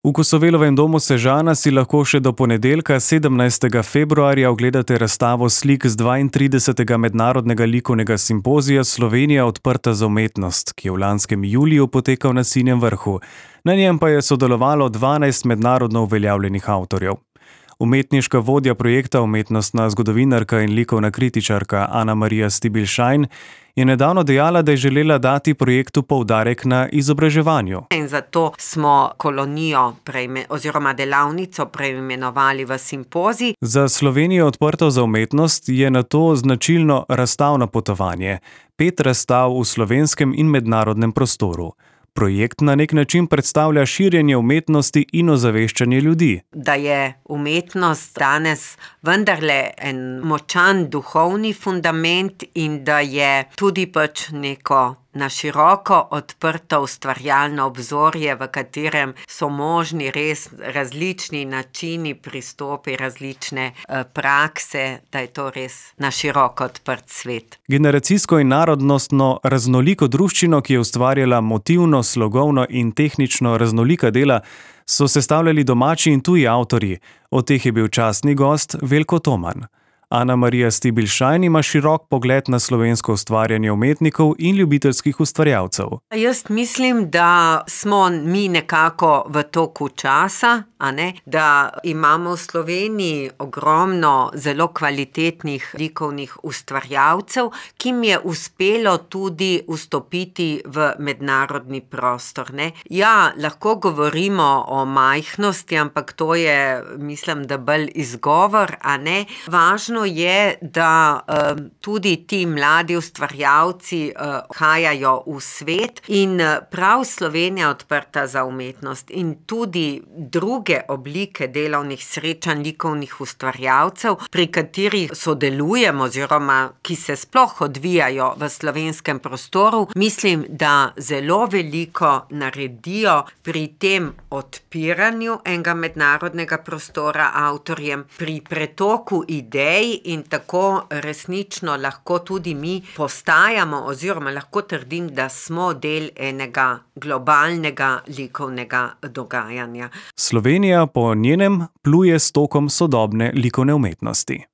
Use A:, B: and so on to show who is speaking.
A: V Kosovelovem domu Sežana si lahko še do ponedeljka, 17. februarja, ogledate razstavo slik z 32. mednarodnega likovnega simpozija Slovenija odprta za umetnost, ki je v lanskem juliju potekal na Sinjem Vrhu. Na njem pa je sodelovalo 12 mednarodno uveljavljenih avtorjev. Umetniška vodja projekta, umetnostna zgodovinarka in likovna kritičarka Ana Marija Stibilšajn je nedavno dejala, da je želela dati projektu poudarek na izobraževanju.
B: In zato smo kolonijo oziroma delavnico preimenovali v simpozij.
A: Za Slovenijo odprto za umetnost je nato značilno razstavno potovanje. 5 razstav v slovenskem in mednarodnem prostoru. Projekt na nek način predstavlja širjenje umetnosti in ozaveščanje ljudi.
B: Da je umetnost danes vendarle en močan duhovni fundament in da je tudi neko na široko odprto ustvarjalno obzorje, v katerem so možni res različni načini, pristopi, različne prakse, da je to res na široko odprt svet.
A: Generacijsko in narodnostno raznoliko druščino, ki je ustvarjala motivno, slogovno in tehnično raznolika dela, so sestavljali domači in tuji avtorji. Od teh je bil častni gost Veljko Toman. Ana Marija Stibilšajn ima širok pogled na slovensko ustvarjanje umetnikov in ljubiteljskih ustvarjalcev.
B: Jaz mislim, da smo mi nekako v toku časa, da imamo v Sloveniji ogromno zelo kvalitetnih likovnih ustvarjalcev, ki jim je uspelo tudi vstopiti v mednarodni prostor. Ja, lahko govorimo o majhnosti, ampak to je, mislim, da bolj izgovor, Važno je, da tudi ti mladi ustvarjalci hajajo v svet in prav Slovenija odprta za umetnost in tudi druge oblike delovnih srečanj likovnih ustvarjalcev, pri katerih sodelujemo oziroma ki se sploh odvijajo v slovenskem prostoru, mislim, da zelo veliko naredijo pri tem odpiranju enega mednarodnega prostora avtorjem, pri pretoku idej in tako resnično lahko tudi mi postajamo oziroma lahko trdim, da smo del enega globalnega likovnega dogajanja.
A: Slovenija po njenem pluje s tokom sodobne likovne umetnosti.